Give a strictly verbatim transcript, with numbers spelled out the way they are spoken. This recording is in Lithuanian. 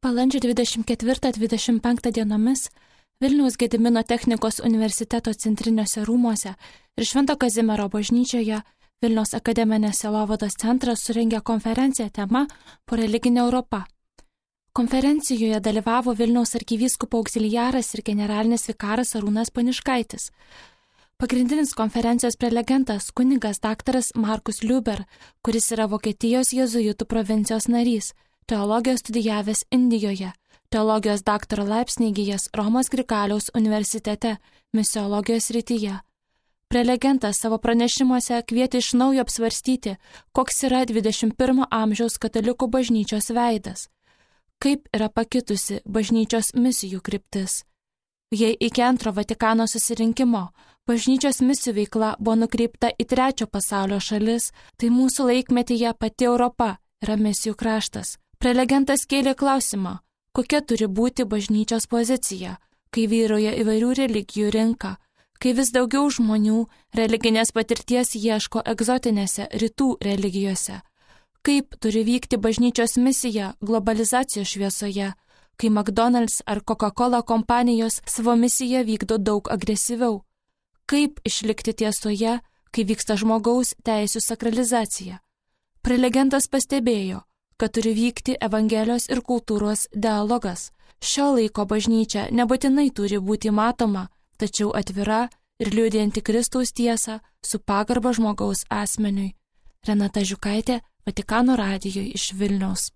Balandžio dvidešimt ketvirtą dvidešimt penktą dienomis Vilniaus Gedimino technikos universiteto centriniuose rūmuose ir Švento Kazimiero bažnyčioje Vilniaus akademinės sielovados centras surengė konferenciją tema Po religinė Europa. Konferencijoje dalyvavo Vilniaus arkivyskupo auxiliaras ir generalinis vikaras Arūnas Paniškaitis. Pagrindinis konferencijos prelegentas kunigas daktaras Markus Liuber, kuris yra Vokietijos jėzuitų provincijos narys, teologijos studijavęs Indijoje, teologijos daktaro laipsnį įgijęs Romos Grigaliaus universitete, misiologijos srityje. Prelegentas savo pranešimuose kvietė iš naujo apsvarstyti, koks yra dvidešimt pirmo amžiaus katalikų bažnyčios veidas, kaip yra pakitusi bažnyčios misijų kryptis. Jei iki antro Vatikano susirinkimo bažnyčios misijų veikla buvo nukreipta į trečio pasaulio šalis, tai mūsų laikmetyje pati Europa yra misijų kraštas. Prelegentas kėlė klausimą, kokia turi būti bažnyčios pozicija, kai vyrauja įvairių religijų rinka, kai vis daugiau žmonių religinės patirties ieško egzotinėse rytų religijose, kaip turi vykti bažnyčios misija globalizacijos šviesoje, kai McDonald's ar Coca-Cola kompanijos savo misiją vykdo daug agresyviau, kaip išlikti tiesoje, kai vyksta žmogaus teisių sakralizacija. Prelegentas pastebėjo, kad turi vykti evangelijos ir kultūros dialogas. Šio laiko bažnyčia nebūtinai turi būti matoma, tačiau atvira ir liudijanti Kristaus tiesą su pagarba žmogaus asmeniui. Renata Žiukaitė, Vatikano radijui iš Vilniaus.